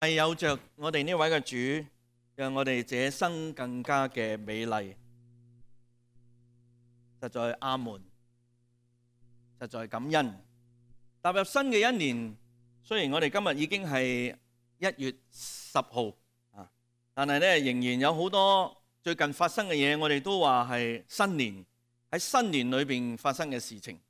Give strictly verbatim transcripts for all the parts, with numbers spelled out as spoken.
係有着我哋呢位嘅主，讓我哋這一生更加嘅美麗。實在阿門，實在感恩。踏入新嘅一年，雖然我哋今日已經係一月十號啊，但係咧仍然有好多最近發生嘅嘢，我哋都話係新年喺新年裏邊發生嘅事情。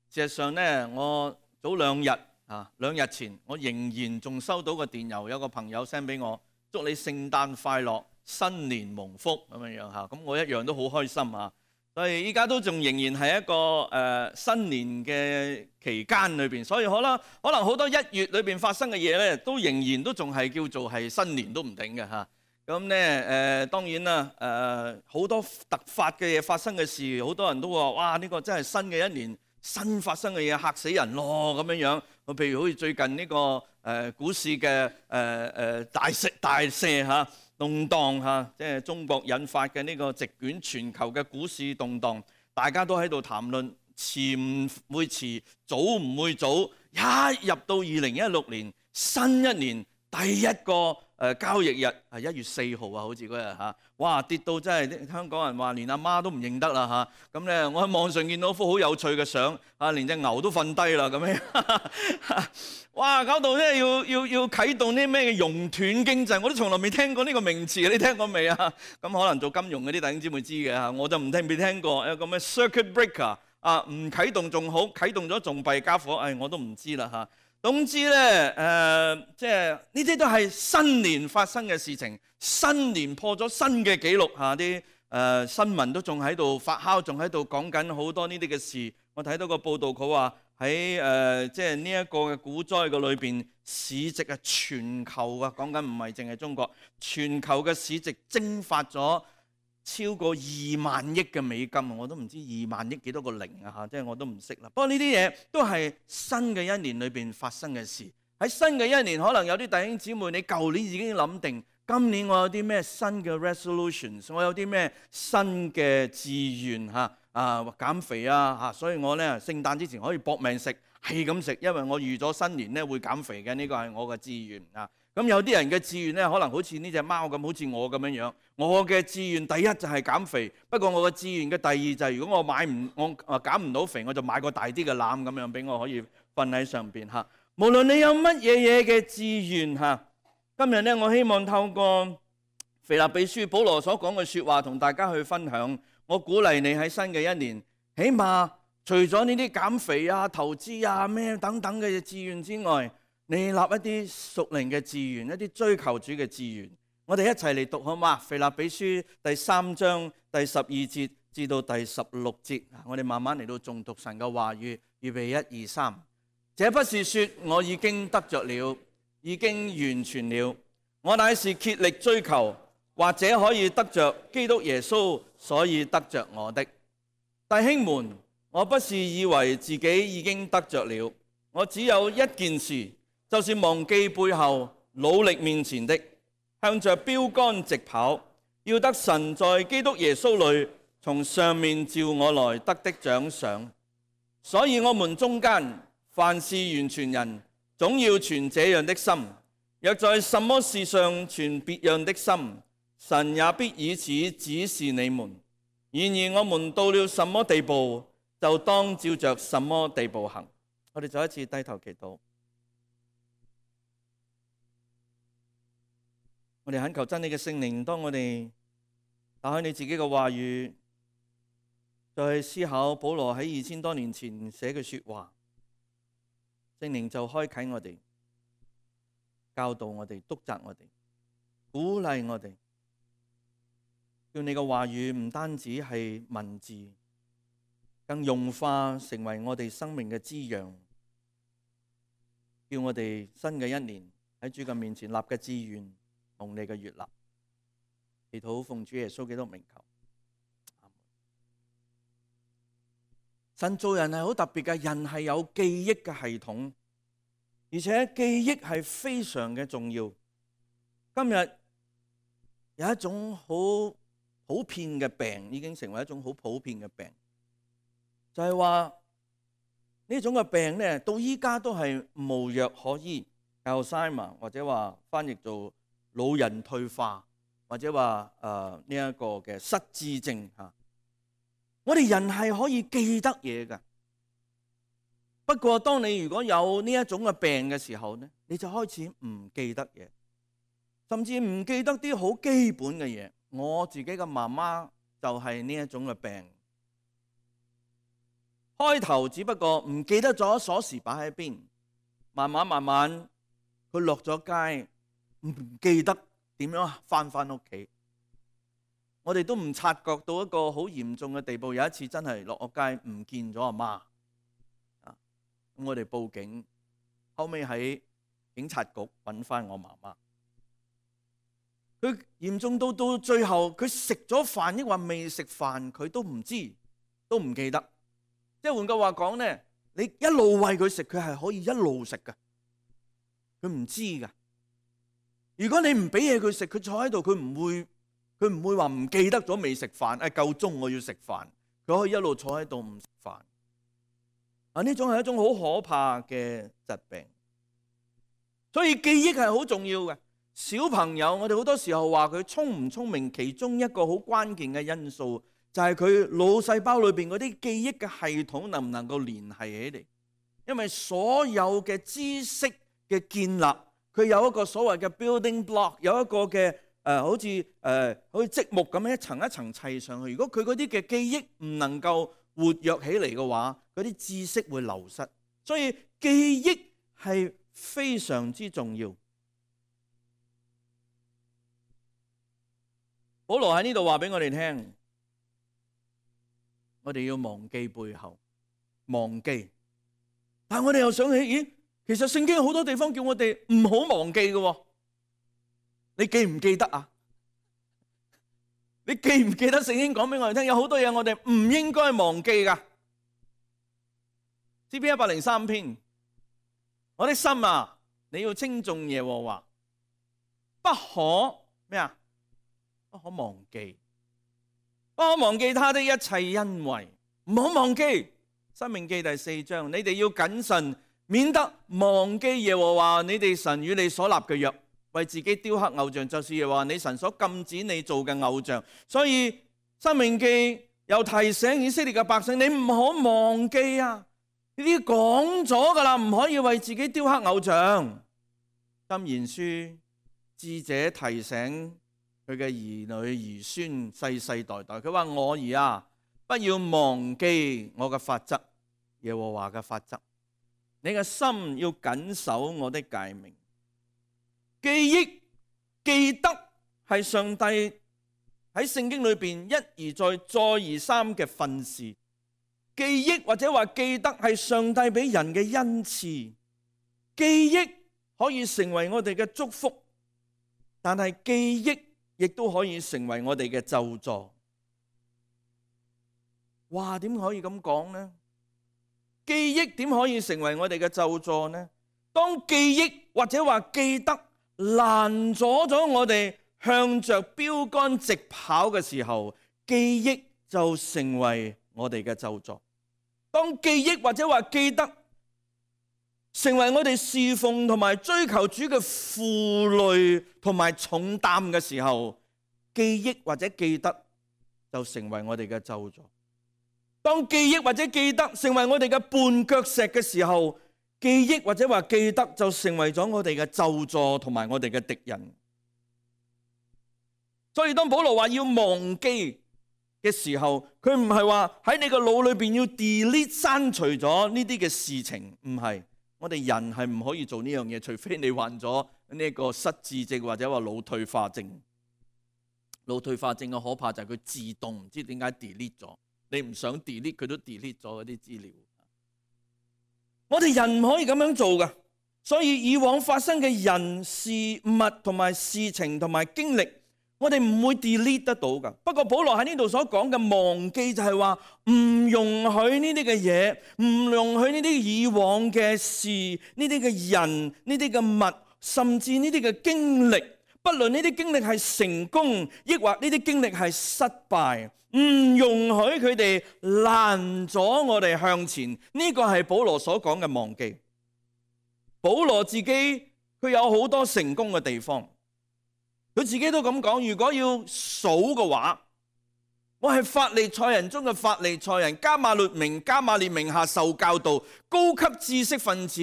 事實上咧，我早兩日啊，兩日前我仍然仲收到個電郵，有個朋友 send 俾我，祝你聖誕快樂，新年蒙福咁樣樣嚇。咁我一樣都好開心啊！所以依家都仲仍然係一個誒、呃、新年嘅期間裏邊，所以可能可能好多一月裏邊發生嘅嘢咧，都仍然都仲係叫做係新年都唔定嘅嚇。咁咧誒當然啦，誒、呃、好多突發嘅嘢發生嘅事，好多人都話：哇！呢、這個真係新嘅一年，新發生嘅嘢嚇死人咯咁樣樣。譬如好似最近呢、這個誒、呃、股市嘅誒誒大瀉大瀉嚇。動盪嚇，即係中國引發嘅呢個席捲全球嘅股市動盪，大家都喺度談論遲唔會遲，早唔會早。一入到二零一六年新一年第一個誒交易日係一月四號啊，好似嗰日嚇，哇跌到真係香港人話連阿媽都唔認得啦嚇。咁咧，我喺網上見到幅好有趣嘅相，啊連隻牛都瞓低啦咁樣。哇！搞到咧要要要啟動啲咩嘅熔斷經濟，我都從來未聽過呢個名詞，你聽過未啊？咁可能做金融嗰啲弟兄姊妹知嘅嚇，我就唔聽未聽過。有個咩 circuit breaker 啊，唔啟動仲好，啟動咗仲弊家伙，誒我都唔知啦嚇。總之咧誒，即係呢啲都係新年發生嘅事情，新年破咗新嘅紀錄嚇，啲誒新聞都仲喺度發酵，仲喺度講緊好多呢啲嘅事。我睇到個報道，佢話，喺誒即係呢一個嘅股災嘅裏邊，市值係全球啊，講緊唔係淨係中國，全球嘅市值蒸發咗超過二萬億嘅美金，我都唔知二萬億幾多個零啊嚇，即係我都唔識啦。不過呢啲嘢都係新嘅一年裏邊發生嘅事。喺新嘅一年，可能有啲弟兄姊妹，你舊年已經諗定，今年我有啲咩新嘅 resolutions， 我有啲咩新嘅志願嚇。啊減肥啊嚇，所以我咧聖誕之前可以搏命食，係咁食，因為我預咗新年咧會減肥嘅，呢個係我嘅志願啊。咁有啲人嘅志願咧，可能好似呢隻貓咁，好似我咁樣樣。我嘅志願第一就係減肥，不過我嘅志願嘅第二就係如果我買唔我啊減唔到肥，我就買個大啲嘅籃咁樣俾我可以瞓喺上邊嚇。無論你有乜嘢嘢嘅志願嚇，今日咧我希望透過腓立比書保羅所講嘅説話同大家去分享。我鼓勵你喺新嘅一年，起碼除咗呢啲減肥啊、投資啊、咩等等嘅志願之外，你立一啲屬靈嘅志願，一啲追求主嘅志願。我哋一齊嚟讀好嗎？腓立比書第三章第十二節至到第十六節，我哋慢慢嚟到誦讀神嘅話語。預備一二三，這不是說我已經得着了，已經完全了，我乃是竭力追求，或者可以得着基督耶穌，所以得着我的。弟兄們，我不是以為自己已經得着了，我只有一件事，就是忘記背後，努力面前的，向着標竿直跑，要得神在基督耶穌裏從上面召我來得的獎賞。所以我們中間凡是完全人，總要存這樣的心；若在什麼事上存別樣的心，神也必以此指示你們。然而我們到了什麼地步，就當照着什麼地步行。我哋再一次低頭祈禱。我哋懇求真理嘅聖靈，當我哋打開你自己嘅話語，再去思考保羅喺二千多年前寫嘅說話，聖靈就開啟我哋，教導我哋，督責我哋，鼓勵我哋。叫你嘅話語唔單止係文字，更融化成為我哋生命嘅滋養。叫我哋新嘅一年喺主嘅面前立嘅志願同你嘅悅納。祈禱奉主耶穌基督名求。神做人係好特別嘅，人係有記憶嘅系統，而且記憶係非常嘅重要。今日有一種好普遍嘅病，已經成為一種好普遍嘅病，就係話呢種嘅病咧，到依家都係無藥可醫。Alzheimer 或者話翻譯做老人退化，或者話誒呢一個嘅失智症嚇。我哋人係可以記得嘢㗎，不過當你如果有呢一種嘅病嘅時候咧，你就開始唔記得嘢，甚至唔記得啲好基本嘅嘢。我自己嘅媽媽就係呢一種嘅病。開頭只不過唔記得咗鎖匙擺喺邊，慢慢慢慢佢落咗街，唔記得點樣翻返屋企。我哋都唔察覺到一個好嚴重嘅地步。有一次真係落咗街唔見咗阿媽，啊，咁我哋報警，後尾喺警察局揾翻我媽媽。佢嚴重到到最後，佢食咗飯抑或未食飯，佢都唔知，都唔記得。即係換句話講咧，你一路餵佢食，佢係可以一路食㗎，佢唔知㗎。如果你唔俾嘢佢食，佢坐喺度，佢唔會，佢唔會話唔記得咗未食飯，誒夠鐘我要食飯，佢可以一路坐喺度唔食飯。啊，呢種係一種好可怕嘅疾病，所以記憶係好重要嘅。小朋友，我哋好多時候話佢聰唔聰明，其中一個好關鍵嘅因素就係佢腦細胞裏邊嗰啲記憶嘅系統能唔能夠聯繫起嚟。因為所有嘅知識嘅建立，佢有一個所謂嘅 building block， 有一個嘅誒、呃，好似誒、呃、好似積木咁樣一層一層砌上去。如果佢嗰啲嘅記憶唔能夠活躍起嚟嘅話，嗰啲知識會流失。所以記憶係非常之重要。保羅喺呢度話俾我哋聽，我哋要忘記背後，忘記。但係我哋又想起，咦，其實聖經有好多地方叫我哋唔好忘記嘅。你記唔記得啊？你記唔記得聖經講俾我哋聽，有好多嘢我哋唔應該忘記噶。詩篇一百零三篇，我的心啊，你要稱頌耶和華，不可咩啊？不可忘記，不可忘記他的一切恩惠，唔好忘記。申命記第四章，你哋要謹慎，免得忘記耶和華你哋神與你所立嘅約，為自己雕刻偶像，就是耶和華你神所禁止你做嘅偶像。所以申命記又提醒以色列嘅百姓，你唔好忘記啊！呢啲講咗噶啦，唔可以為自己雕刻偶像。箴言書智者提醒佢嘅兒女兒孫世世代代，佢話我兒啊，不要忘記我嘅法則，耶和華嘅法則，你嘅心要謹守我的誡命。記憶記得係上帝喺聖經裏邊一而再再而三嘅訓示。記憶或者話記得係上帝俾人嘅恩賜，記憶可以成為我哋嘅祝福，但係記憶亦都可以成為我哋嘅咒詛。哇，點可以咁講呢？記憶點可以成為我哋嘅咒詛呢？當記憶或者話記得攔阻咗我哋向着標杆直跑嘅時候，記憶就成為我哋嘅咒詛。當記憶或者話記得成為我哋侍奉同埋追求主嘅負累同埋重擔嘅時候，記憶或者記得就成為我哋嘅咒詛。當記憶或者記得成為我哋嘅絆腳石嘅時候，記憶或者話記得就成為咗我哋嘅咒詛同埋我哋嘅敵人。所以當保羅話要忘記嘅時候，佢唔係話喺你個腦裏邊要 delete 刪除咗呢啲嘅事情，唔係。我哋人係唔可以做呢樣嘢，除非你患咗呢個失智症或者話腦退化症。腦退化症嘅可怕就係佢自動唔知點解 delete 咗，你唔想 delete 佢都 delete 咗嗰啲資料。我哋人唔可以咁樣做㗎，所以以往發生嘅人事物同埋事情同埋經歷，我哋唔會 delete 得到㗎。不過保羅喺呢度所講嘅忘記就係話唔容許呢啲嘅嘢，唔容許呢啲以往嘅事、呢啲嘅人、呢啲嘅物，甚至呢啲嘅經歷，不論呢啲經歷係成功，抑或呢啲經歷係失敗，唔容許佢哋攔阻我哋向前。呢個係保羅所講嘅忘記。保羅自己佢佢有好多成功嘅地方。佢自己都咁講，如果要數嘅話，我係法利賽人中嘅法利賽人，迦瑪列明迦瑪列名下受教導，高級知識分子，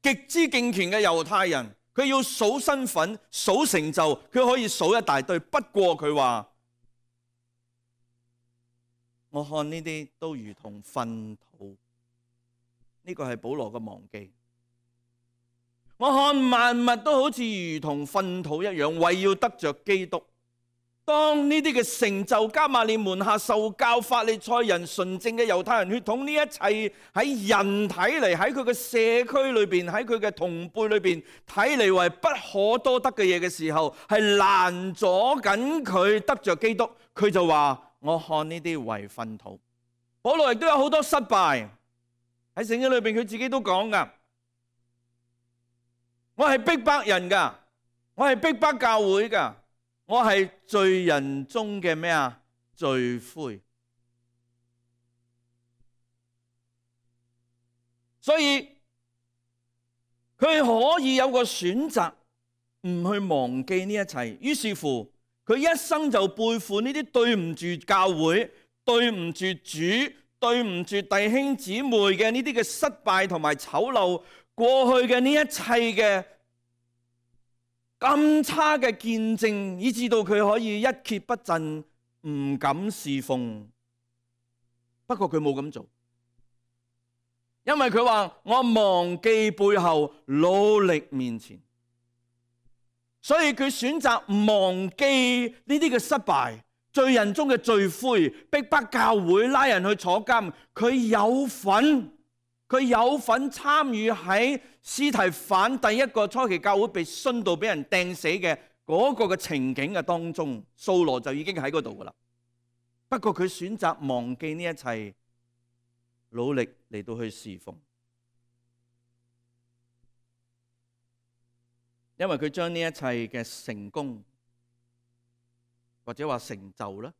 極之敬虔嘅猶太人。佢要數身份、數成就，佢可以數一大堆。不過佢話，我看呢啲都如同糞土。呢個係保羅嘅忘記。我看萬物都好似如同糞土一樣，為要得着基督。當呢啲嘅成就，迦瑪列門下受教法利賽人純正嘅猶太人血統，呢一切喺人睇嚟，喺佢嘅社區裏邊，喺佢嘅同輩裏邊睇嚟為不可多得嘅嘢嘅時候，係攔阻緊佢得着基督。佢就話：我看呢啲為糞土。保羅亦都有好多失敗喺聖經裏邊，佢自己都講噶。我係逼迫人噶，我係逼迫教會噶。我係罪人中嘅咩啊？罪魁。所以佢可以有個選擇，唔去忘記呢一切。於是乎，佢一生就背負呢啲對唔住教會、對唔住主、對唔住弟兄姊妹嘅呢啲嘅失敗同埋醜陋，過去嘅呢一切嘅咁差嘅見證，以致到佢可以一蹶不振，唔敢侍奉。不過佢冇咁做，因為佢話：我忘記背後，努力面前。所以佢選擇忘記呢啲嘅失敗，罪人中嘅罪魁，逼迫教會，拉人去坐監。佢有份。佢有份參與喺司提反第一個初期教會被殉道、俾人掟死嘅嗰個嘅情景嘅當中，掃羅就已經喺嗰度噶啦。不過佢選擇忘記呢一切，努力嚟到去侍奉，因為佢將呢一切嘅成功或者話成就啦，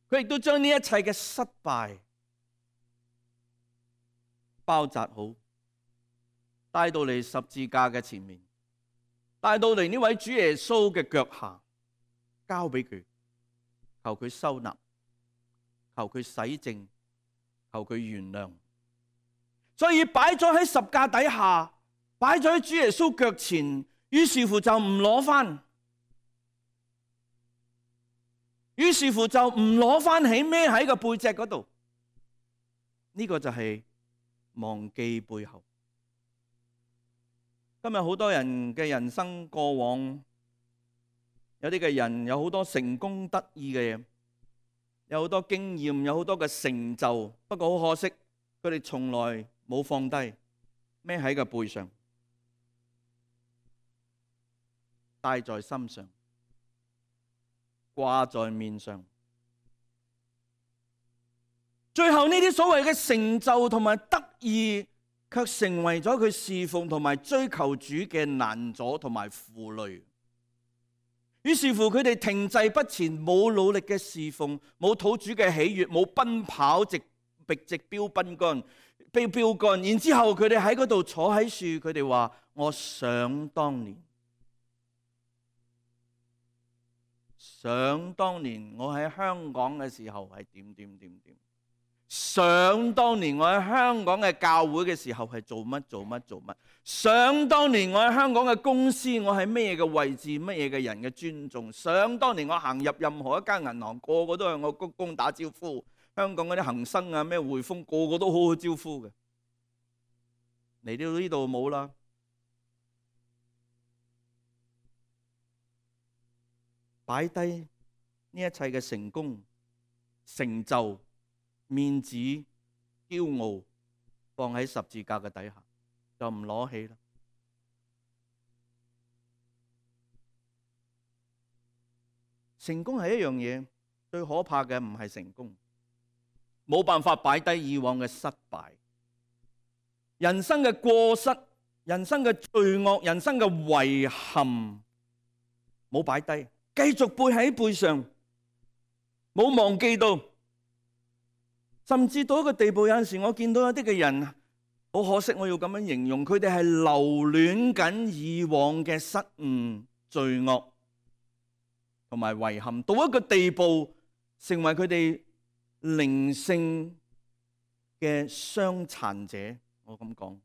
佢亦都將呢一切嘅失敗包紮好，帶到嚟十字架嘅前面，帶到嚟呢位主耶穌嘅腳下，交俾佢，求佢收納，求佢洗淨，求佢原諒。所以擺咗喺十架底下，擺咗喺主耶穌腳前，於是乎就唔攞翻，於是乎就唔攞翻起，孭喺個背脊嗰度。呢個就係忘記背後。今日好多人嘅人生過往，有啲嘅人有好多成功得意嘅嘢，有好多經驗，有好多嘅成就。不過好可惜，佢哋從來冇放低，孭喺個背上，帶在心上，掛在面上。最後呢啲所謂嘅成就同埋得意，卻成為咗佢侍奉同埋追求主嘅難阻同埋負累。於是乎佢哋停滯不前，冇努力嘅侍奉，冇討主嘅喜悅，冇奔跑直直直標奔杆標標杆。然之後佢哋喺嗰度坐喺樹，佢哋話：我想當年，想當年我喺香港嘅時候係點點點點。想當年我喺香港嘅教會嘅時候係做乜做乜做乜。想當年我喺香港嘅公司，我喺咩嘅位置，乜嘢嘅人嘅尊重。想當年我行入任何一間銀行，個個都向我鞠躬打招呼。香港嗰啲恒生啊，咩匯豐，個個都好好招呼嘅。嚟到呢度冇啦，擺低呢一切嘅成功成就、面子、驕傲，放喺十字架嘅底下，就唔攞起啦。成功係一樣嘢，最可怕嘅唔係成功，冇辦法擺低以往嘅失敗、人生嘅過失、人生嘅罪惡、人生嘅遺憾，冇擺低，繼續背喺背上，冇忘記到。甚至到一個地步，有陣時我見到有啲嘅人好可惜，我要咁樣形容，佢哋係留戀緊以往嘅失誤、罪惡同埋遺憾，到一個地步，成為佢哋靈性嘅傷殘者。我咁講，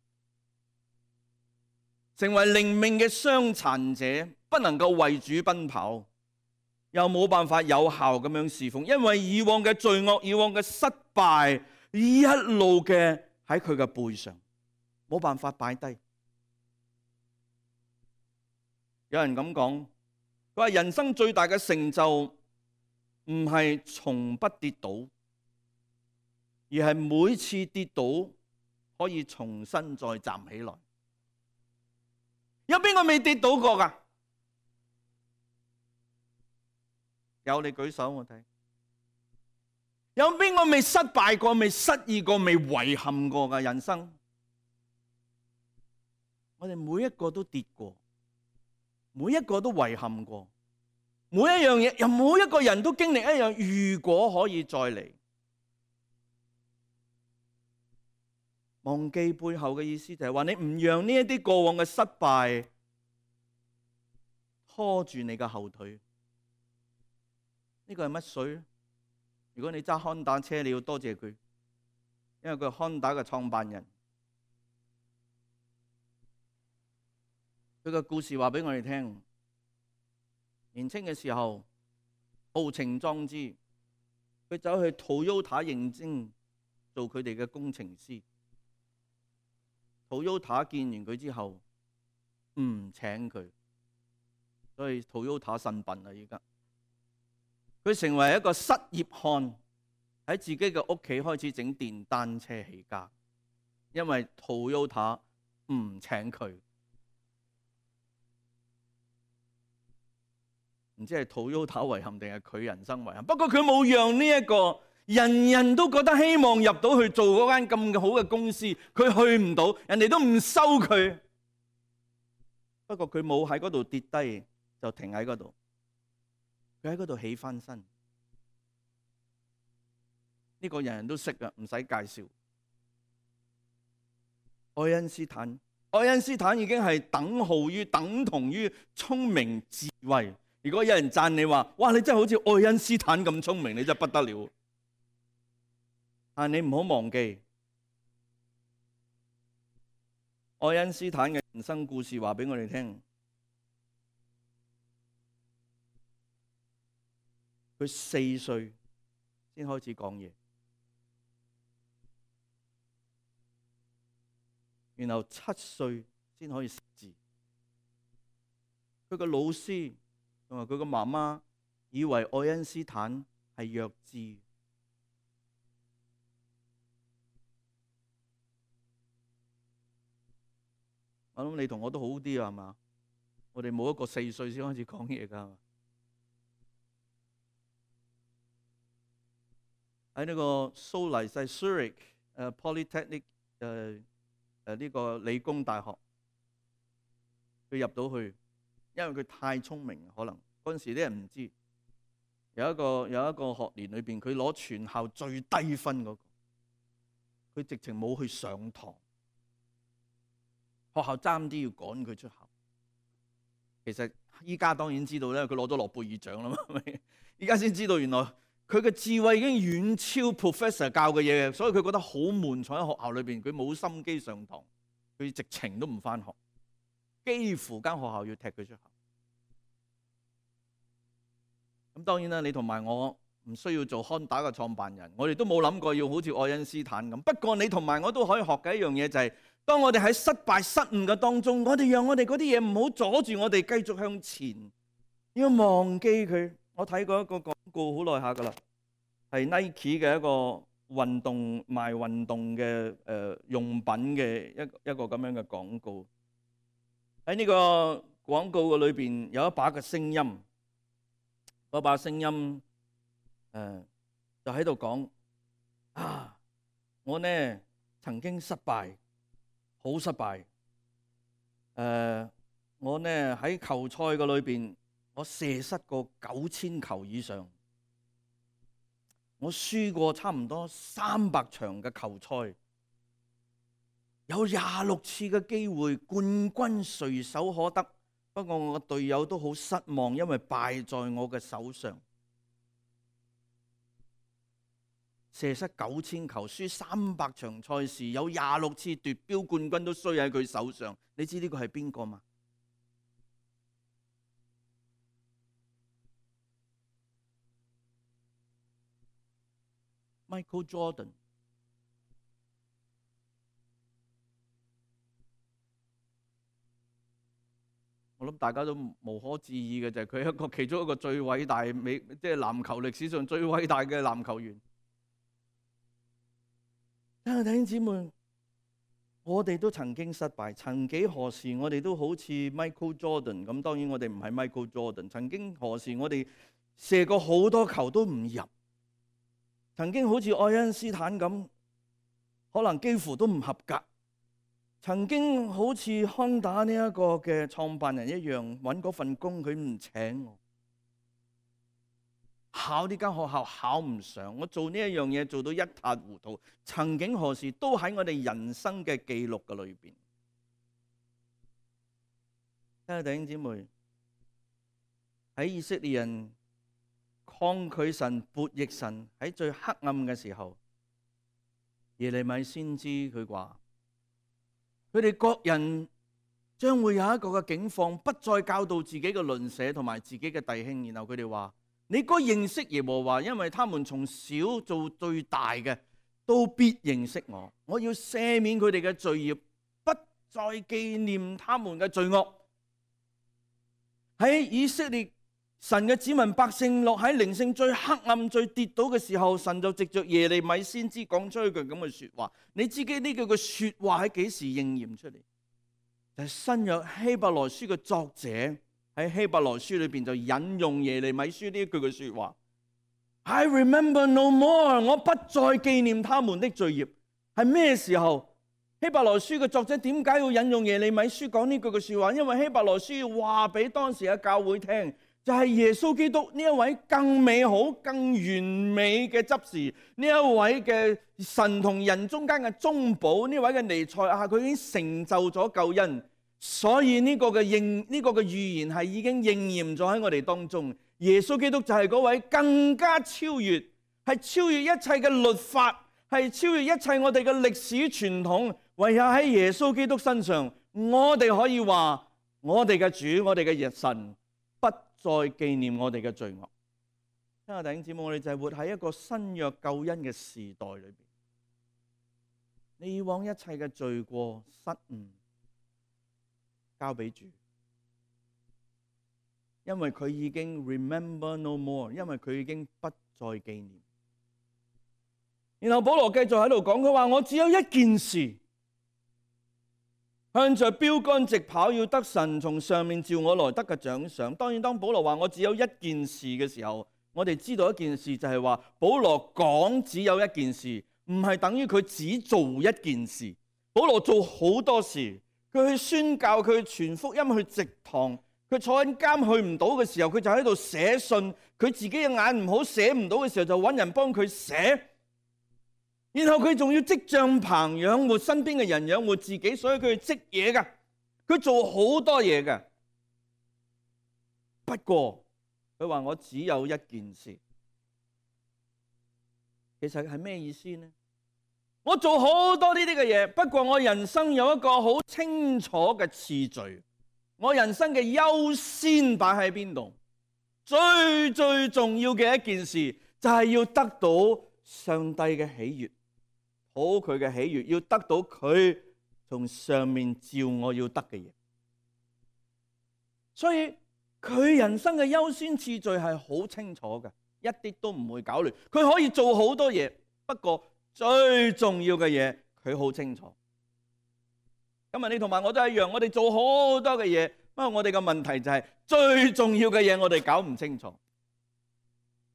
成為靈命嘅傷殘者，不能夠為主奔跑，又冇辦法有效咁樣侍奉，因為以往嘅罪惡、以往嘅失敗，一路嘅喺佢嘅背上，冇辦法擺低。有人咁講，佢話人生最大嘅成就唔係從不跌倒，而係每次跌倒可以重新再站起來。有邊個未跌倒過㗎？有，你舉手我睇。有邊個未失敗過、未失意過、未遺憾過嘅人生？我哋每一個都跌過，每一個都遺憾過，每一樣嘢，又每一個人都經歷一樣。如果可以再嚟，忘記背後嘅意思就係話，你唔讓呢一啲過往嘅失敗拖住你嘅後腿。呢個係乜水？如果你揸康打車，你要多謝佢，因為佢係康打嘅創辦人。佢個故事話俾我哋聽，年輕嘅時候豪情壯志，佢走去 Toyota 應徵做佢哋嘅工程師。Toyota 見完佢之後唔請佢，所以 Toyota 呻笨啦。而家佢成為一個失業漢，喺自己嘅屋企開始整電單車起家，因為 Toyota 唔請佢。唔知係 Toyota 遺憾定係佢人生遺憾。不過佢冇讓呢一個人人都覺得希望入到去做嗰間咁好嘅公司，佢去唔到，人哋都唔收佢。不過佢冇喺嗰度跌低，就停喺嗰度。佢喺嗰度起翻身。呢個人人都識㗎，唔使介紹。愛因斯坦，愛因斯坦已經係等號於等同於聰明智慧。如果有人讚你話，哇，你真係好似愛因斯坦咁聰明，你真係不得了。但你唔好忘記，愛因斯坦嘅人生故事話俾我哋聽，佢四歲先開始講嘢，然後七歲先可以識字。佢個老師同埋佢個媽媽以為愛因斯坦係弱智。我諗你同我都好啲啊，係嘛？我哋冇一個四歲先開始講嘢㗎。喺呢個蘇黎世 Zurich 誒 Polytechnic 誒誒呢個理工大學，佢入到去。因為佢太聰明，可能嗰陣時啲人唔知，有一個有一個學年裏邊，佢攞全校最低分嗰個，佢直情冇去上堂，學校爭啲要趕佢出校。其實依家當然知道咧，佢攞咗諾貝爾獎啦嘛，依家先知道原來佢嘅智慧已經遠超 professor 教嘅嘢，所以佢覺得好悶，坐喺學校裏邊，佢冇心機上堂，佢直情都唔返學。幾乎間學校要踢佢出校。咁當然啦，你同埋我唔需要做康打嘅創辦人，我哋都冇諗過要好似愛因斯坦咁。不過你同埋我都可以學嘅一樣嘢就係，當我哋喺失敗失誤嘅當中，我哋讓我哋嗰啲嘢唔好阻住我哋繼續向前，要忘記佢。我睇過一個廣告好耐下噶啦，係 Nike 嘅一個運動賣運動嘅誒用品嘅一一個咁樣嘅廣告。喺呢個廣告嘅裏邊有一把嘅聲音，嗰把聲音誒、呃、就喺度講啊，我呢曾經失敗，好失敗。誒、呃，我呢喺球賽嘅裏邊，我射失過九千球以上，我輸過差唔多三百場嘅球賽。有廿六次嘅機會，冠軍隨手可得。不過我嘅隊友都好失望，因為敗在我嘅手上。射失九千球，輸三百場賽事，有廿六次奪標冠軍都衰喺佢手上。你知呢個係邊個嗎？ Michael Jordan。我諗大家都無可置疑嘅就係佢一個其中一個最偉大美，即係籃球歷史上最偉大嘅籃球員。弟兄姊妹，我哋都曾經失敗，曾幾何時我哋都好似 Michael Jordan 咁。當然我哋唔係 Michael Jordan。曾經何時我哋射過好多球都唔入，曾經好似愛因斯坦咁，可能幾乎都唔合格。曾經好似Honda呢一個嘅創辦人一樣，揾嗰份工佢唔請我，考呢間學校考唔上，我做呢一樣嘢做到一塌糊塗。曾經何時都喺我哋人生嘅記錄嘅裏邊。親愛的弟兄姊妹，喺以色列人抗拒神、悖逆神喺最黑暗嘅時候，耶利米先知佢話。佢哋各人將會有一個嘅境況，不再教導自己嘅鄰舍同埋自己嘅弟兄。然後佢哋話：你該認識耶和華，因為他們從小做最大嘅，都必認識我。我要赦免佢哋嘅罪孽，不再紀念他們嘅罪惡。喺以色列神嘅子民百姓落喺靈性最黑暗、最跌倒嘅時候，神就藉着耶利米先知講出一句咁嘅說話。你知己呢句嘅說話喺幾時應驗出嚟？就係新約希伯來書嘅作者喺希伯來書裏邊就引用耶利米書呢一句嘅說話。I remember no more， 我不再紀念他們的罪孽。係咩時候？希伯來書嘅作者點解要引用耶利米書講呢句嘅說話？因為希伯來書要話俾當時嘅教會聽。就係耶穌基督呢一位更美好、更完美嘅執事，呢一位嘅神同人中間嘅中保，呢位嘅彌賽亞，佢已經成就咗救恩，所以呢個嘅應呢個嘅預言係已經應驗咗喺我哋當中。耶穌基督就係嗰位更加超越，係超越一切嘅律法，係超越一切我哋嘅歷史傳統。唯有喺耶穌基督身上，我哋可以話我哋嘅主，我哋嘅日神。再紀念我哋嘅罪惡。親愛的弟兄姊妹，我哋就係活喺一個新約救恩嘅時代裏邊。你以往一切嘅罪過失誤交俾主，因為佢已經 remember no more， 因為佢已經不再紀念。然後保羅繼續喺度講，佢話我只有一件事，向着標竿直跑，要得神從上面召我來得嘅獎賞。當然，當保羅話我只有一件事嘅時候，我哋知道一件事就係話，保羅講只有一件事，唔係等於佢只做一件事。保羅做好多事，佢去宣教，佢去傳福音，去植堂，佢坐緊監去唔到嘅時候，佢就喺度寫信。佢自己嘅眼唔好寫唔到嘅時候，就揾人幫佢寫。然後佢仲要織帳棚養活身邊嘅人，養活自己，所以佢織嘢噶，佢做好多嘢噶。不過佢話我只有一件事，其實係咩意思呢？我做好多呢啲嘅嘢，不過我人生有一個好清楚嘅次序，我人生嘅優先擺喺邊度？最最重要嘅一件事就係要得到上帝嘅喜悅。好佢嘅喜悅，要得到佢從上面召我要得嘅嘢，所以佢人生嘅優先次序係好清楚嘅，一啲都唔會搞亂。佢可以做好多嘢，不過最重要嘅嘢佢好清楚。今日你同埋我都一樣，我哋做好多嘅嘢，不過我哋嘅問題就係最重要嘅嘢我哋搞唔清楚。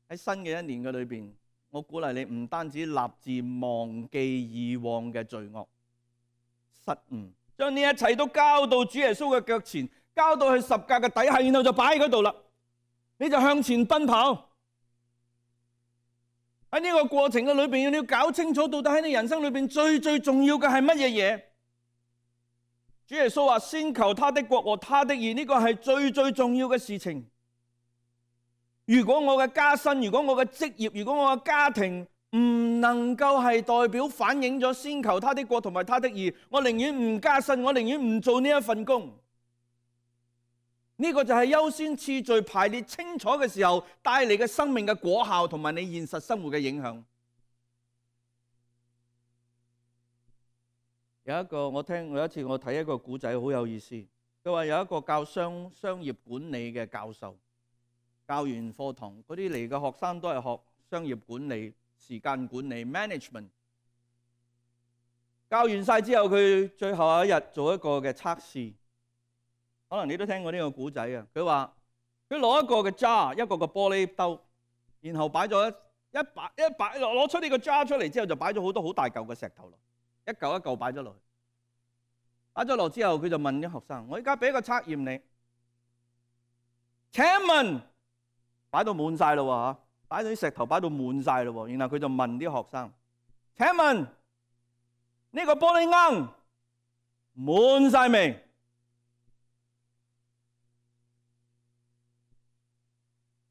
喺新嘅一年嘅裏邊，我鼓勵你唔單止立志忘記以往嘅罪惡失誤，將呢一切都交到主耶穌嘅腳前，交到去十架嘅底下，然後就擺喺嗰度啦。你就向前奔跑。喺呢個過程嘅裏邊，你要搞清楚到底喺你人生裏邊最最重要嘅係乜嘢嘢？主耶穌話：先求他的國和他的義，呢個係最最重要嘅事情。如果我嘅加薪，如果我嘅職業，如果我嘅家庭唔能夠係代表反映咗先求他的國同埋他的義，我寧願唔加薪，我寧願唔做呢一份工。呢個就係優先次序排列清楚嘅時候帶嚟嘅生命嘅果效同埋你現實生活嘅影響。有一個我聽有一次我睇一個古仔好有意思，佢話有一個教商商業管理嘅教授，教完課堂嗰啲嚟嘅學生都係學商業管理、時間管理 management。教完晒之後，佢最後一日做一個嘅測試，可能你都聽過呢個古仔啊。佢話佢攞一個嘅 jar， 一個嘅玻璃兜，然後擺咗一擺一擺攞出呢個 jar 出嚟之後，就擺咗好多好大嚿嘅石頭落。一嚿一嚿擺咗落去，擺咗落之後，佢就問啲學生：我而家俾個測驗你，請問擺到滿晒咯喎，擺到啲石頭擺到滿晒咯喎。然後佢就問啲學生：請問呢個玻璃罌滿晒未？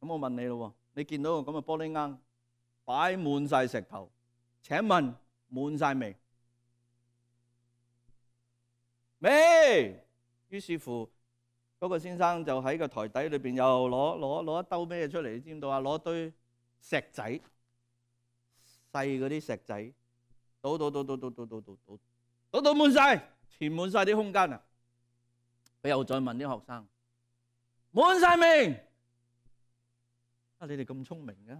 咁我問你咯，你見到個咁嘅玻璃罌擺滿晒石頭，請問滿晒未？未，於是乎嗰個先生就喺個台底裏邊又攞攞攞一兜咩出嚟？你知唔知道啊？攞堆石仔，細嗰啲石仔，倒倒倒倒倒倒倒倒倒倒到滿晒，填滿晒啲空間啊！佢又再問啲學生：滿晒未？啊！你哋咁聰明嘅，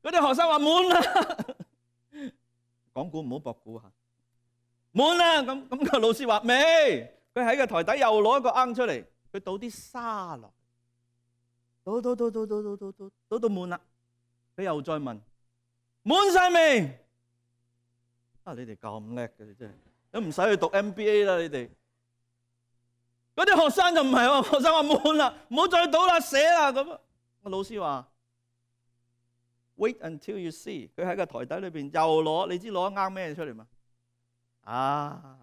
嗰啲學生話滿啦。講古唔好博古嚇，滿啦！咁咁個老師話未？佢喺個台底又攞一個罌出嚟，佢倒啲沙落，倒倒倒倒倒倒倒倒倒到滿啦。佢又再問：滿晒未？啊！你哋咁叻嘅，你真係都唔使去讀 M B A 啦！你哋嗰啲學生就唔係喎，學生話滿啦，唔好再倒啦，寫啦咁。個老師話：Wait until you see。佢喺個台底裏邊又攞，你知攞一罌咩出嚟嘛？啊！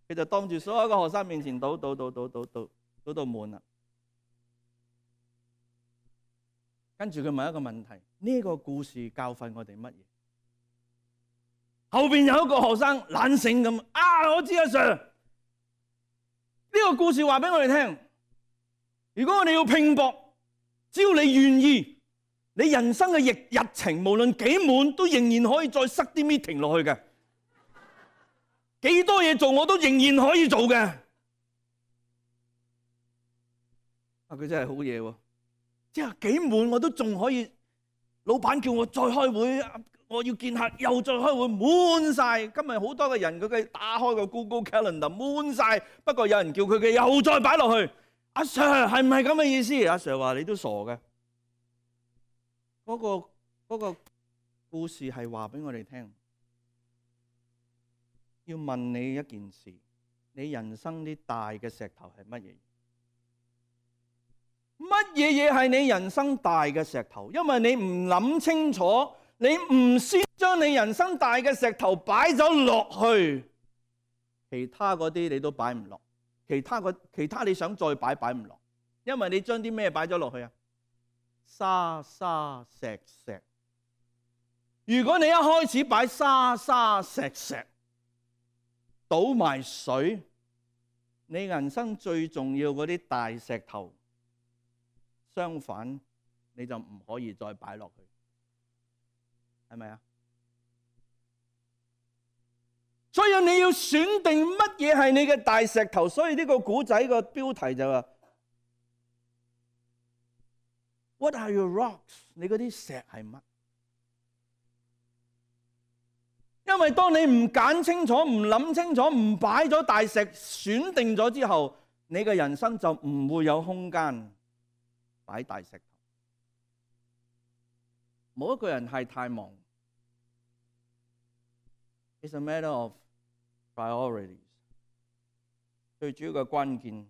佢就當住所有個學生面前倒倒倒倒倒倒倒到滿啦。跟住佢問一個問題：呢個故事教訓我哋乜嘢？後邊有一個學生懶醒咁啊！我知啊 Sir， 呢個故事話俾我哋聽：如果我哋要拼搏，只要你願意。你人生嘅日日程無論幾滿，都仍然可以再塞啲 meeting 落去嘅。幾多嘢做我都仍然可以做嘅。啊，佢真係好嘢喎！即係幾滿我都仲可以，老闆叫我再開會，我要見客又再開會，滿晒。今日好多嘅人佢嘅打開個 Google Calendar 滿晒，不過有人叫佢嘅又再擺落去。阿 Sir 係唔係咁嘅意思？阿 Sir 話你都傻嘅。嗰個嗰個故事係話俾我哋聽，要問你一件事：你人生啲大嘅石頭係乜嘢？乜嘢嘢係你人生大嘅石頭？因為你唔諗清楚，你唔先將你人生大嘅石頭擺咗落去，其他嗰啲你都擺唔落，其他個其他你想再擺擺唔落，因為你將啲咩擺咗落去啊？沙沙石石。如果你一開始擺沙沙石石，倒埋水，你人生最重要嗰啲大石頭，相反你就唔可以再擺落去，係咪啊？所以你要選定乜嘢係你嘅大石頭。所以呢個古仔個標題就話What are your rocks？ 你嗰啲石係乜？因為當你唔揀清楚、唔諗清楚、唔擺咗大石選定咗之後，你嘅人生就唔會有空間擺大石頭。冇一個人係太忙。It's a matter of priorities。最主要嘅關鍵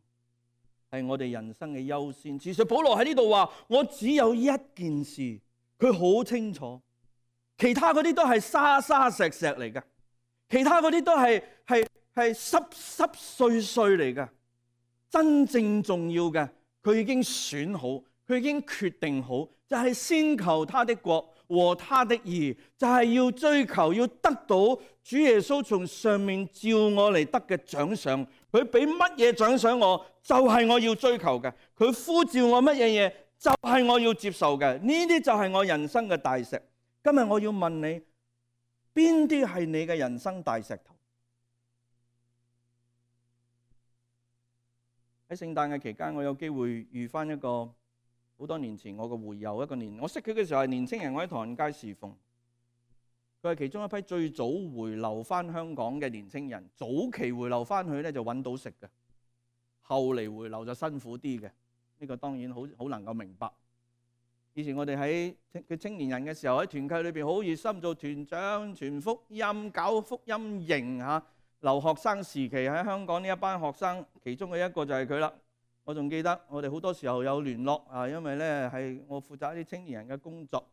係我哋人生嘅優先。其實保羅喺呢度話：我只有一件事，佢好清楚。其他嗰啲都係沙沙石石嚟嘅，其他嗰啲都係係係濕濕碎碎嚟嘅。真正重要嘅，佢已經選好，佢已經決定好，就係先求他的國和他的義，就係要追求，要得到主耶穌從上面召我嚟得嘅獎賞。佢俾乜嘢獎賞我，就係我要追求嘅。佢呼召我乜嘢嘢，就係我要接受嘅。呢啲就係我人生嘅大石。今日我要問你，邊啲係你嘅人生大石頭？喺聖誕嘅期間，我有機會遇翻一個好多年前我嘅會友，一個年我識佢嘅時候係年青人，我喺唐人街侍奉。佢係其中一批最早回流翻香港嘅年青人。早期回流翻去咧就揾到食嘅，後嚟回流就辛苦啲嘅。呢個當然好好能夠明白。以前我哋喺佢青年人嘅時候喺團契裏邊好熱心做團長、傳福音、搞福音營嚇。留學生時期喺香港呢一班學生，其中嘅一個就係佢啦。我仲記得我哋好多時候有聯絡啊，因為咧係我負責一啲青年人嘅工作。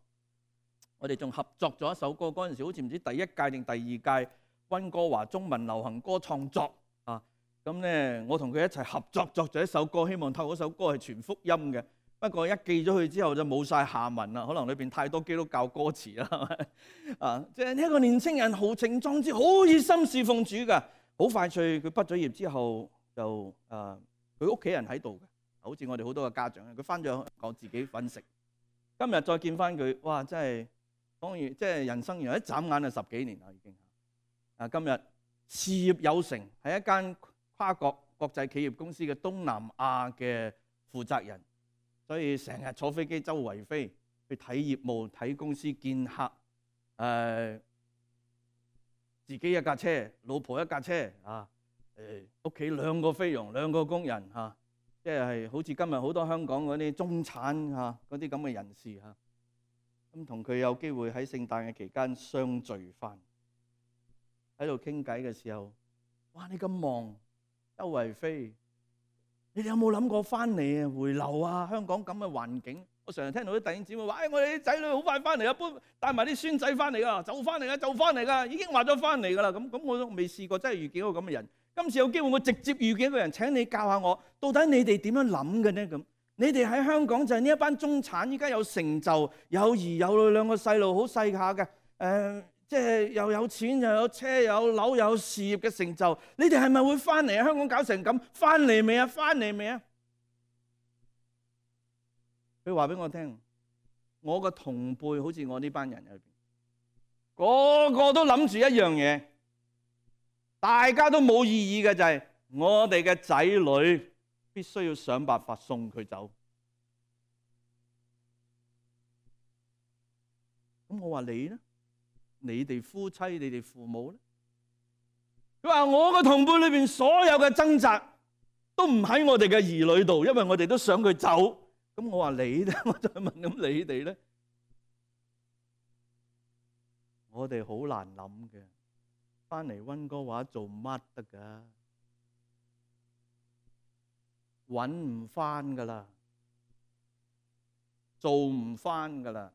我哋仲合作咗一首歌，嗰陣時好似唔知第一屆定第二屆溫哥華中文流行歌創作啊。咁咧我同佢一齊合作作咗一首歌，希望透過嗰首歌係傳福音嘅。不過一寄咗去之後就冇晒下文啦，可能裏邊太多基督教歌詞啦，係咪啊？即係呢一個年青人豪情壯志，好熱心侍奉主㗎。好快脆，佢畢咗業之後就誒，佢屋企人喺度嘅，好似我哋好多嘅家長，佢翻咗香港自己揾食。今日再見翻佢，哇！真係當然，即係人生原來一眨眼就十幾年啦，已經啊！今日事業有成，係一間跨國國際企業公司嘅東南亞嘅負責人。所以成日坐飛機周圍飛，去睇業務、睇公司、見客。誒、呃，自己一架車，老婆一架車啊。誒，屋企兩個菲傭，兩個工人嚇，即、啊、係好似今日好多香港嗰啲中產嚇嗰啲咁嘅人士嚇。咁同佢有機會喺聖誕嘅期間相聚翻，喺度傾偈嘅時候，哇！你咁忙，周圍飛。你哋有冇諗過翻嚟啊？回流啊？香港咁嘅環境，我成日聽到啲弟兄姊妹話：哎，我哋啲仔女好快翻嚟啊，搬帶埋啲孫仔翻嚟啊，就翻嚟啊，就翻嚟噶，已經話咗翻嚟噶啦。咁咁我都未試過真係遇見一個咁嘅人。今次有機會，我直接遇見一個人，請你教下我，到底你哋點樣諗嘅呢？咁你哋喺香港就係呢一班中產，依家有成就，有兒有女，兩個細路好細下嘅，誒、呃。即係又有錢又有車又有樓又有事業嘅成就，你哋係咪會翻嚟啊？香港搞成咁，翻嚟未啊？翻嚟未啊？佢話俾我聽，我個同輩好似我呢班人入邊，個個都諗住一樣嘢，大家都冇異議嘅就係、是、我哋嘅仔女必須要想辦法送佢走。咁我話你呢？你哋夫妻、你哋父母咧？佢話我個同輩裏邊所有嘅掙扎都唔喺我哋嘅兒女度，因為我哋都想佢走。咁我話你咧，我就問咁你哋咧？我哋好難諗嘅，翻嚟溫哥華做乜得噶？搵唔翻噶啦，做唔翻噶啦。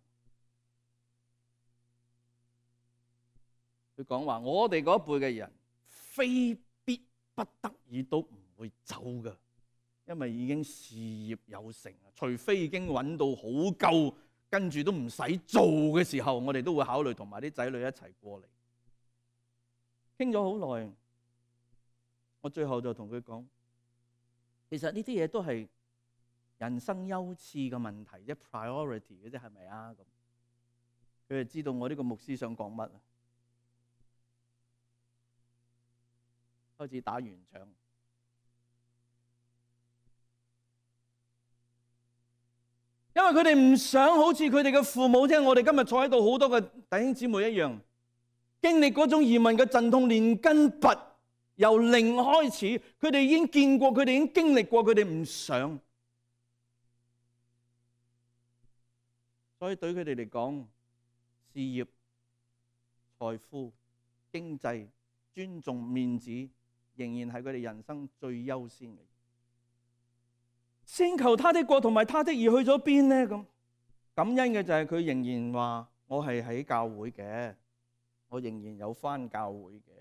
佢講話：我哋嗰一輩嘅人，非必不得已都唔會走㗎，因為已經事業有成，除非已經揾到好夠，跟住都唔使做嘅時候，我哋都會考慮同埋啲仔女一齊過嚟。傾咗好耐，我最後就同佢講：其實呢啲嘢都係人生優次嘅問題，即係 priority 嘅啫，係咪啊？咁佢就知道我呢個牧師想講乜啊？開始打圓場，因為佢哋唔想好似佢哋嘅父母，聽我哋今日坐喺度好多嘅弟兄姊妹一樣，經歷嗰種移民嘅陣痛，連根拔，由零開始，佢哋已經見過，佢哋已經經歷過，佢哋唔想，所以對佢哋嚟講，事業、財富、經濟、尊重、面子，仍然係佢哋人生最優先嘅。先求他的國同埋他的義去咗邊呢？咁感恩嘅就係佢仍然話我係喺教會嘅，我仍然有返教會嘅。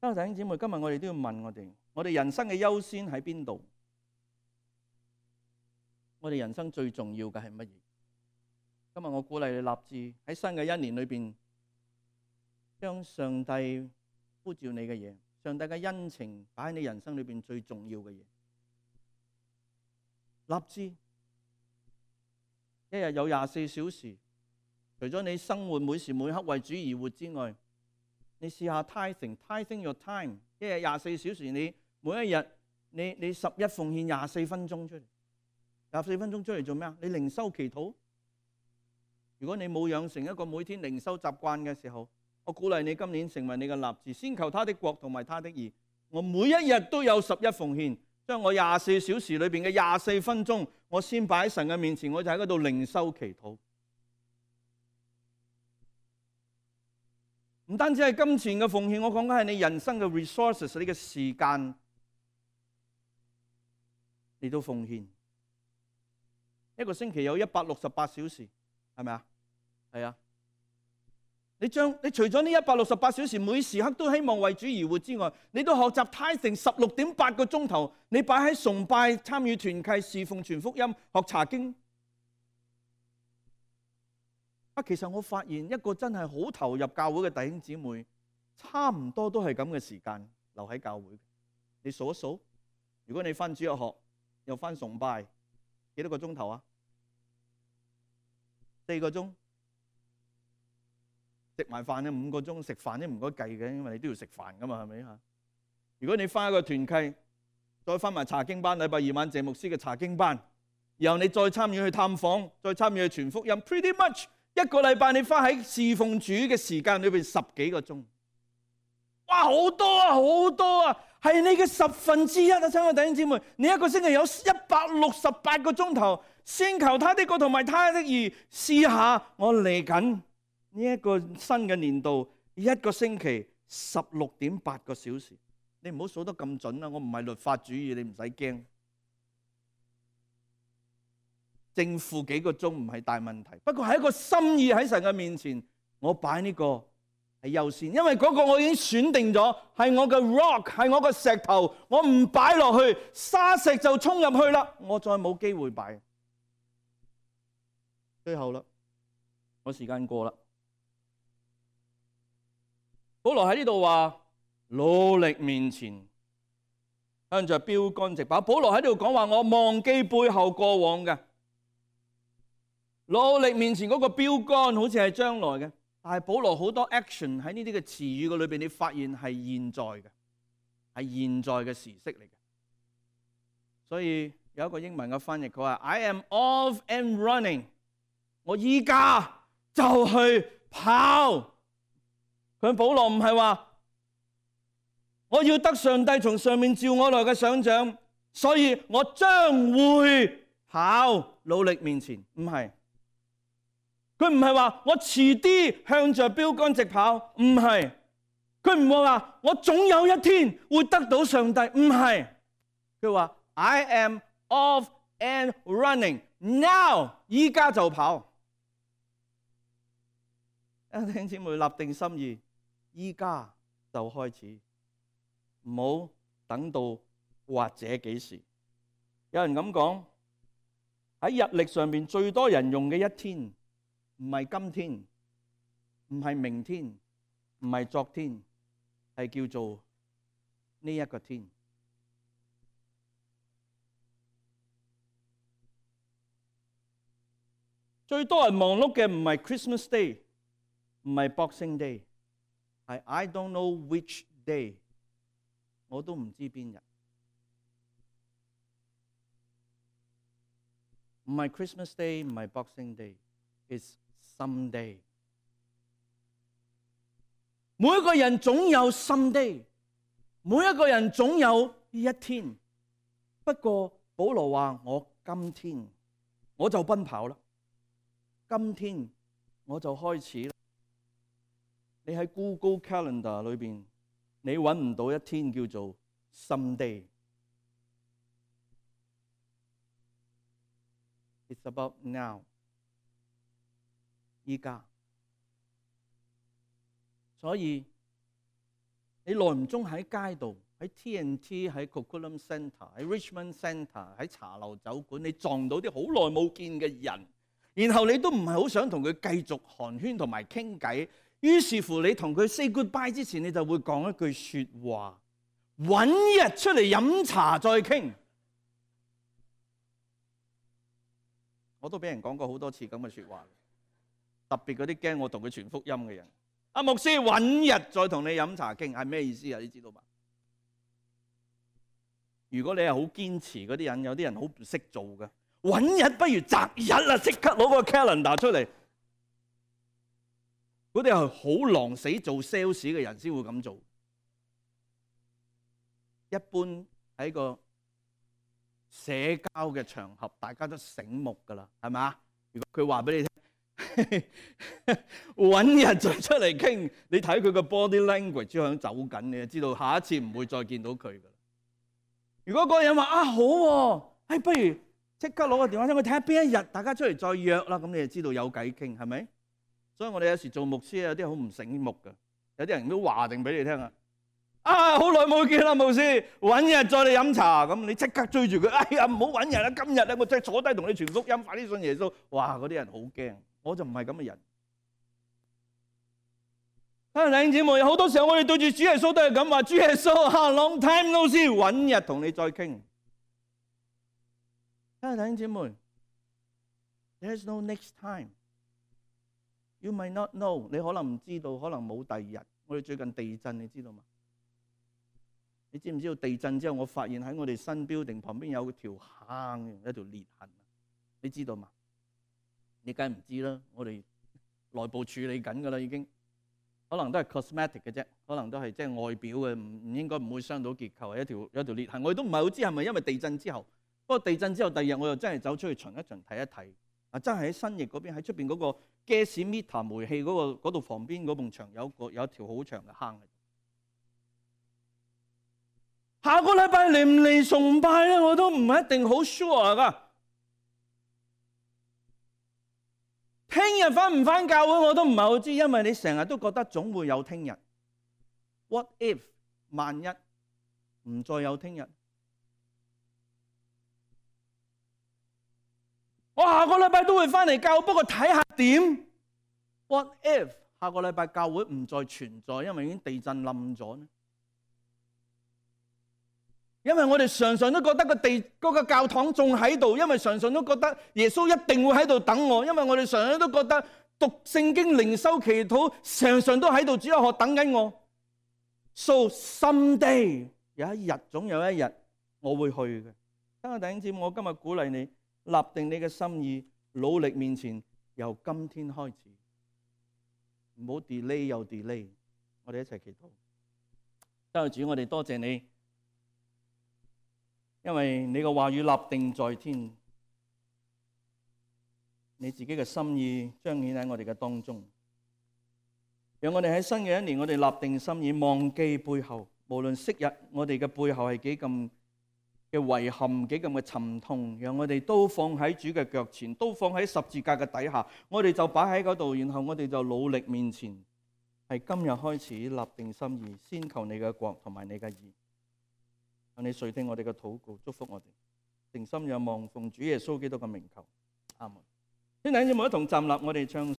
弟兄姊妹，今日我哋都要問我哋，我哋人生嘅優先喺邊度？我哋人生最重要嘅係乜嘢？今日我鼓勵你立志喺新嘅一年裏邊，將上帝呼召你嘅嘢，上帝嘅恩情擺喺你人生裏邊最重要嘅嘢。立志一日有廿四小時，除咗你生活每時每刻為主而活之外，你試下 tithing tithing your time， 一日廿四小時，你每一日你你十一奉獻廿四分鐘出嚟，廿四分鐘出嚟做咩啊？你靈修祈禱。如果你冇養成一個每天靈修習慣嘅時候，我鼓勵你今年成為你嘅立志，先求他的國同埋他的義。我每一日都有十一奉獻，將我廿四小時裏邊嘅廿四分鐘，我先擺喺神嘅面前，我就喺嗰度靈修祈禱。唔單止係金錢嘅奉獻，我講緊係你人生嘅 resources， 你嘅時間，你都奉獻。一個星期有一百六十八小時，係咪啊？係啊。你將你除咗呢一百六十八小時，每時刻都希望為主而活之外，你都學習 tithing 十六點八個鐘頭，你擺喺崇拜、參與團契、侍奉、傳福音、學查經。啊，其實我發現一個真係好投入教會嘅弟兄姊妹，差唔多都係咁嘅時間留喺教會。你數一數，如果你返主日學又返崇拜，幾多個鐘頭啊？四個鐘。食埋飯咧五個鐘，食飯都唔該計嘅，因為你都要食飯噶嘛，係咪嚇？如果你返一個團契，再返埋查經班，禮拜二晚謝牧師嘅查經班，然後你再參與去探訪，再參與去傳福音 ，pretty much 一個禮拜你花喺侍奉主嘅時間裏邊十幾個鐘，哇，好多啊，好多啊，係你嘅十分之一啊！親愛弟兄姊妹，你一個星期有一百六十八個鐘頭，先求他的國同埋他的義，試下我嚟緊呢一個新嘅年度，一個星期十六點八個小時，你唔好數得咁準啦！我唔係律法主義，你唔使驚。正負幾個鐘唔係大問題，不過係一個心意喺神嘅面前，我擺呢個係優先，因為嗰個我已經選定咗，係我嘅 rock， 係我嘅石頭，我唔擺落去，沙石就衝入去啦，我再冇機會擺。最後啦，我時間過啦。保羅喺呢度話努力面前，向着標竿直跑。保羅喺度講話，我忘記背後過往嘅，努力面前嗰個標竿好似係將來嘅，但係保羅好多 action 喺呢啲嘅詞語嘅裏邊，你發現係現在嘅，係現在嘅時式嚟嘅。所以有一個英文嘅翻譯，佢話 I am off and running， 我依家就去跑。佢保羅唔係話我要得上帝從上面召我來嘅賞獎，所以我將會跑，努力面前，唔係。佢唔係話我遲啲向着標竿直跑，唔係。佢唔係話我總有一天會得到上帝，唔係。佢話 I am off and running now， 依家就跑。弟兄姊妹立定心意，依家就開始，唔好等到或者幾時。有人咁講，喺日曆上面最多人用嘅一天，唔係今天，唔係明天，唔係昨天，係叫做呢一個天。最多人忙碌嘅唔係 Christmas Day， 唔係 Boxing Day， 係 I don't know which day， 我都唔知邊日。唔係 Christmas Day， 唔係 Boxing Day，it's someday。每一個人總有 someday， 每一個人總有一天。不過保羅話：我今天我就奔跑啦，今天我就開始啦。你喺 Google Calendar 裏邊，你揾唔到一天叫做 someday。It's about now。依家。所以你耐唔中喺街度，喺 T N T、喺 Coquitlam Centre、喺 Richmond Centre、喺茶樓酒館，你撞到啲好耐冇見嘅人，然後你都唔係好想同佢繼續寒暄同埋傾偈，於是乎你同佢 say goodbye 之前，你就會講一句説話，揾日出嚟飲茶再傾。我都俾人講過好多次咁嘅説話，特別嗰啲驚我同佢傳福音嘅人。阿牧師，揾日再同你飲茶傾係咩意思啊？你知道嘛？如果你係好堅持嗰啲人，有啲人好唔識做嘅，揾日不如擇日啦，即刻攞個 calendar 出嚟。嗰啲係好狼死做 sales 嘅人先會咁做。一般喺個社交嘅場合，大家都醒目㗎啦，係咪啊？如果佢話俾你聽，揾日再出嚟傾，你睇佢個 body language 響走緊，你就知道下一次唔會再見到佢㗎啦。如果嗰個人話啊好喎，哎不如即刻攞個電話出去睇下邊一日大家出嚟再約啦，咁你就知道有偈傾，係咪？所以我哋有時做牧師有啲好唔醒目㗎，有啲人都話定俾你聽啊。啊！好耐冇見啦，牧師，揾日再嚟飲茶，咁你即刻追住佢。哎呀，唔好揾日啦，今日咧我真係坐低同你傳福音，快啲信耶穌。哇！嗰啲人好驚，我就唔係咁嘅人。啊，弟兄姊妹，好多時候我哋對住主耶穌都係咁話，主耶穌啊 ，long time no see，揾日同你再傾。啊，弟兄姊妹 ，there's no next time。You might not know， 你可能唔知道，可能冇第二日。我哋最近地震，你知道嘛？你知唔知道地震之後，我發現喺我哋新 building 旁邊有條坑，一條裂痕，你知道嘛？你梗係唔知啦，我哋內部處理緊㗎啦，已經可能都係 cosmetic 嘅啫，可能都係即係外表嘅，唔唔應該唔會傷到結構，係一條有一條裂痕，我哋都唔係好知係咪因為地震之後。不過地震之後第二日我又真係走出去巡一巡睇一睇，啊真係喺新翼嗰邊喺出邊嗰個 gas meter 煤氣嗰個嗰度旁邊嗰埲牆有個有一條好長嘅坑。下個禮拜嚟唔嚟崇拜咧，我都唔一定好 sure 噶。聽日返唔返教會我都唔係好知，因為你成日都覺得總會有聽日。What if 萬一唔再有聽日？我下個禮拜都會返嚟教會，不過睇下點。What if 下個禮拜教會唔再存在，因為已經地震冧咗呢？因為我哋常常都覺得個地嗰個教堂仲喺度，因為常常都覺得耶穌一定會喺度等我，因為我哋常常都覺得讀聖經、靈修、祈禱，常常都喺度主日學等緊我。So someday 有一日，總有一日我會去嘅。等我弟兄姊妹，我今日鼓勵你立定你嘅心意，努力面前，由今天開始，唔好 delay 又 delay。我哋一齊祈禱。多謝主，我哋多謝你。因為你嘅話語立定在天，你自己嘅心意彰顯喺我哋嘅當中，讓我哋喺新嘅一年，我哋立定心意，忘記背後，無論昔日我哋嘅背後係幾咁嘅遺憾，幾咁嘅沉痛，讓我哋都放喺主嘅腳前，都放喺十字架嘅底下，我哋就擺喺嗰度，然後我哋就努力面前，係今日開始立定心意，先求你嘅國同埋你嘅義。你垂聽我哋嘅禱告，祝福我哋，誠心仰望奉主耶穌基督嘅名求，阿門。先等陣，我一同站立，我哋唱。